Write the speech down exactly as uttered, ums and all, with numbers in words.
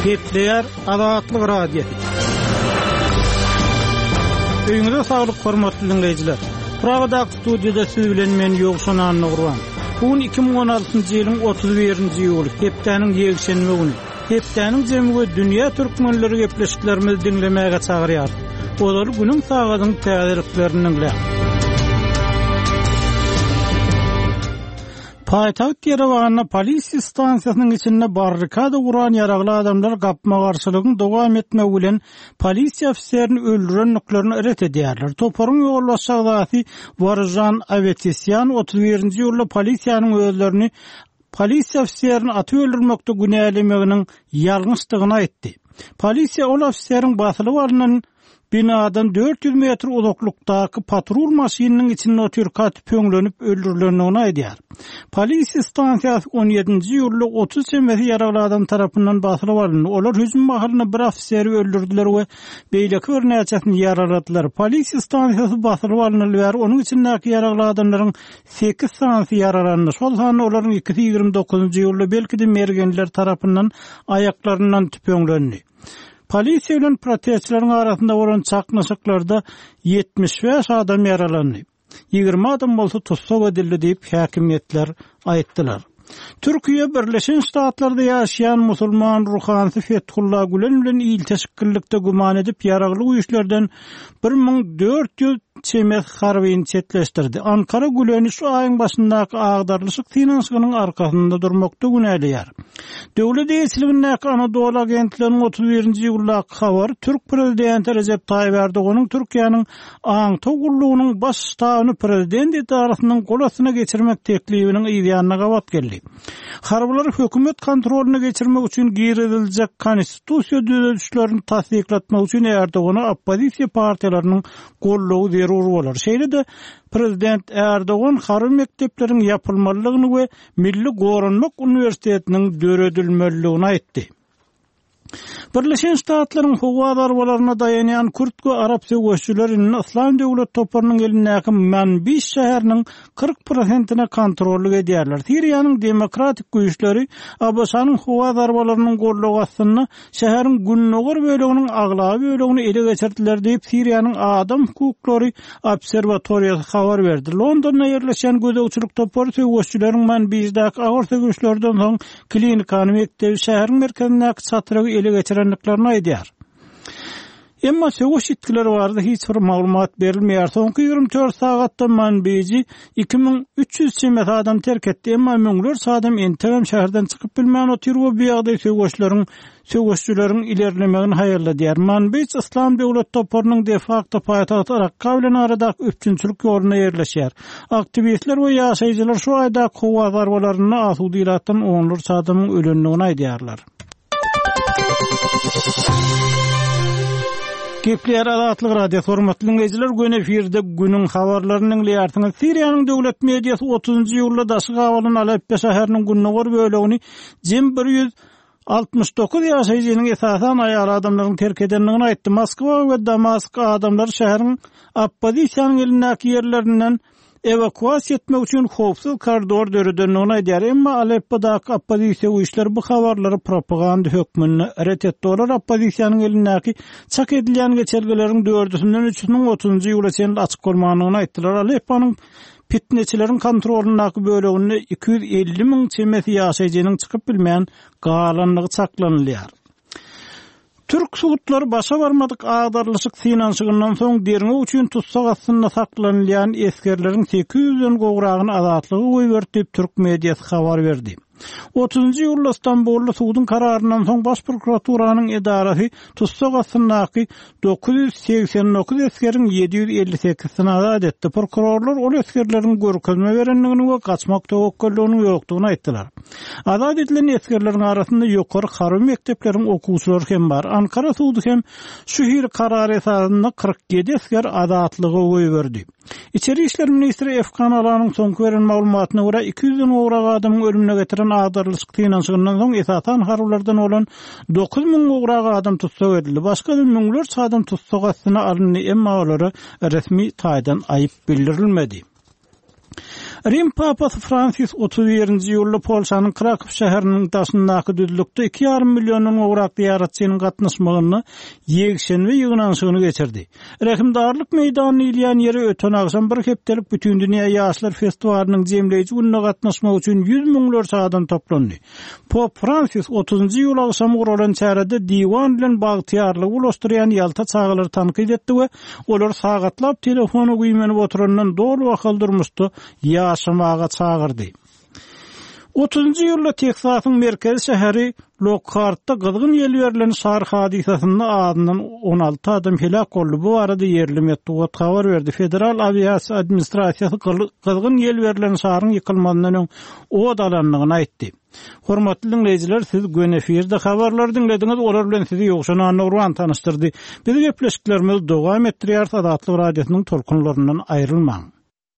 Gepleýär Azatlyk Radiosy. Öýüňize saglyk hormatly dinleýjiler. Pragadaky studiýada siz bilen men Ýowşan Annagurban. Bu gün iki müň on altynjy ýylyň otuz birinji iýuly, hepdäniň ýekşenbe güni. Hepdäniň jemi we dünýä türkmenleri gepleşiklerimizi diňlemäge çagyrýar. Olar günüň sagadyň täzeliklerini diňläň. Paýtagt Ýerewanda polisiýa stansiýasynyň içinde barrikada guran ýaragly adamlar gapma-garşylygyň dowam etmegi bilen polisiýa ofiserini öldürendiklerini ret edýärler. Toparyň ýolbaşçy agzasy Warjan Avetisyan otuz birinji ýylda polisiýanyň özlerini polisiýa ofiserini atyp öldürmekde günälemeginiň ýalňyşdygyny aýtdy. Polisiýa ol ofiseriň basylyp alynan binadan dört ýüz metr uzaklykdaky patrul maşynynyň içinde otyrka tüpeňlenip öldürilendigini aýdýar. Polisiýa stansiýasy on ýedinji ýylda otuz çemesi ýaragly adam tarapyndan basylyp alyndy. Olar hüjüm mahalynda bir ofiseri öldürdüler we beýleki bir näçesini ýaraladylar. Polisiýa stansiýasy basylyp alyndy we onuň içindäki ýaragly adamlaryň sekiz sanysy ýaralandy. Şol sanda olaryň ikisi ýigrimi dokuzynjy ýylda belki de mergenler tarapyndan aýaklaryndan tüpeňlendi. Polisiýa bilen protestçileriň arasynda bolan çaknyşyklarda ýetmiş bäş adam ýaralandy. Ýigrimi adam bolsa tussag edildi diýip häkimiýetler aýtdylar. Türkiýe Birleşen Ştatlarda ýaşaýan musulman ruhanysy Fethullah Gülen bilen ilteşiklilikde güman edip ýaragly güýçlerden bir müň dört ýüz çemes harbyny çetleşdirdi. Ankara Güleni şu aýyň başyndaky agdarlyşyk synanyşygynyň arkasynda durmakda günäleýär. Döwlet eýeçiligindäki Anadolu agentliginiň otuz birinji ýyldaky habary Türk prezidenti Recep Tayyip Erdoganyň Türkiýäniň Aňtaw gullugynyň baş ştabyny prezident edarasynyň gol astyna geçirmek teklibiniň ýanyna gabat geldi. Harbylary hökümet kontrolyna geçirmek üçin giriziljek konstitusiýa düzedişlerini tassyklatmak üçin Erdogana oppozisiýa partiýalarynyň gollugy zerur bolar. Şeýle-de prezident Erdogan harby mekdepleriň ýapylmalydygyny we Milli Goranmak Uniwersitetiniň döredilmelidigini aýtdy. Birleşen Ştatlaryň howa zarbalaryna daýanýan Kürt we Arap söweşçileri indi Yslam döwlet toparynyň elindäki Manbij şäheriniň kyrk prosentine kontrollyk edýärler. Siriýanyň demokratik güýçleri A B Ş-nyň howa zarbalarynyň gollugy astynda şäheriň gündogar böleginiň aglaba bölegini ele geçirdiler diýip Siriýanyň adam hukuklary obserwatoriýasy habar berdi. Londonda ýerleşen gözegçilik topary söweşçileriň Manbijdäki agyr söweşlerden soň klinikany mekdebi şäheriň merkezindäki çatrygy ele geçirendiklerini aýdýar. Emma söweş ýitgileri barada hiç bir maglumat berilmeýär. Soňky ýigrimi dört sagatda Manbiji iki müň üç ýüz çemesi adam terk etdi. Emma müňlerçe adam entegem şäherden çykyp bilmän otyr we bu ýagdaý söweşleriň, söweşçileriň ilerlemegini haýalladýar. Manbij Yslam döwlet toparynyň de facto paýtagty Rakka bilen aradaky üpjünçilik ýoluna ýerleşýär. Aktiwistler we ýaşaýjylar şu aýdaky howa zarbalarynda asuda ilatdan onlarça adamyň ölendigini aýdýarlar. Gepleýär Azatlyk Radiosy, hormatly dinleýjiler, gün efirde günüň habarlaryny diňleýärsiňiz. Siriýanyň döwlet mediasy otuzynjy ýylda daşy gabalan Aleppo şäheriniň gündogar bölegini jem bir ýüz altmyş dokuz ýaşaýjynyň esasan aýal adamlaryň terk edendigini aýtdy. Moskwa we Damask adamlary şäheriň oppozisiýanyň elindäki ýerlerinden ewakuasiýa etmek üçin howpsuz koridor döredendigini aýdýar. Emma Aleppodaky oppozisiýa güýçleri bu habarlary propaganda hökmünde ret etdi. Olar oppozisiýanyň elindäki çak edilýän geçelgeleriň dördüsinden üçüsiniň otuzynjy ýyla çenli açyk bolmandygyny aýtdylar. Alepponyň fitneçileriň kontrolyndaky böleginde iki ýüz elli müň çemesi ýaşaýjynyň çykyp bilmän galandygy çaklanylýar. Türk sudlary başa barmadyk agdarlyşyk synanyşygyndan soň derňew üçin tussag astynda saklanylýan esgerleriň sekiz ýüzden gowragyny azatlyga goýberdi diýip Türk mediasy habar berdi. Otuzynjy ýylda Stambulda suduň kararyndan soň baş prokuraturanyň edarasy tussag astyndaky dokuz ýüz segsen dokuz esgeriň ýedi ýüz elli sekizini azat etdi. Prokurorlar ol esgerleriň görkezme berendigini we gaçmak töwekgelliginiň ýokdugyny aýtdylar. Azat edilen esgerleriň arasynda ýokary harby mekdepleriň okuwçylary hem bar. Ankara sudy hem şu hil karar esasynda kyrk ýedi esger azatlyga goýberdi. İçeri İşler Ministri Efkan Alanyň soňky beren maglumatyna görä iki ýüzden gowrak adamyň ölümüne getiren agdarlyşyk synanyşygyndan soň esasan harbylardan bolan dokuz müň gowrak adam tussag edildi. Başga da müňlerçe adam tussag astyna alyndy, emma olara resmi taýdan aýyp bildirilmedi. Rim Papasy Fransis otuz birinji iýulda Polşanyň Krakow şäheriniň daşyndaky düzlükde iki ýarym milliondan gowrak zyýaratçynyň gatnaşmagynda ýekşenbe ýygnanyşygyny geçirdi. Rehimdarlyk meýdany diýilýän ýere öten agşam bir hepdelik Bütindünýä ýaşlar festiwalynyň jemleýji gününe gatnaşmak üçin ýüz müňlerçe adam toplandy. Pop Fransis otuzynjy iýul agşamy guralan çärede diwan bilen bagtyýarlygy bulaşdyrýan ýalta çagalary tankyt etdi we olary sagatlap telefona güýmenip oturandan doly bahaly durmuşda ýaşamaga çagyrdy. Otuzynjy iýulda Teksasyň merkezi şäheri Lokhartda gyzgyn ýel berlen şar hadysasynda azyndan on alty adam heläk boldy. Bu barada ýerli metbugat habar berdi. Federal awiasiýa administrasiýasy gyzgyn ýel berlen şaryň ýykylmazyndan öň od alandygyny aýtdy. Hormatly diňleýjiler, siz göni efirde habarlary diňlediňiz, olar bilen sizi Ýowşan Annagurban tanyşdyrdy. Biz gepleşiklerimizi dowam etdirýäris, Azatlyk Radiosynyň tolkunlaryndan aýrylmaň.